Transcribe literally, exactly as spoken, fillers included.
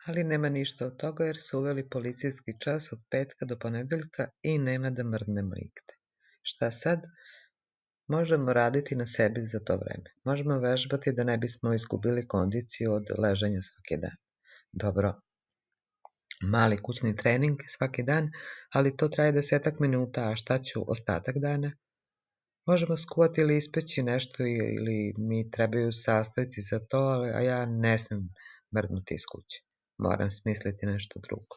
Ali nema ništa od toga jer su uveli policijski čas od petka do ponedeljka i nema da mrdnemo igde. Šta sad? Možemo raditi na sebi za to vreme. Možemo vežbati da ne bismo izgubili kondiciju od ležanja svaki dan. Dobro, mali kućni trening svaki dan, ali to traje desetak minuta, a šta ću ostatak dana? Možemo skuvati ili ispeći nešto ili mi trebaju sastojci za to, a ja ne smem mrdnuti iz kuće. Moram smisliti nešto drugo.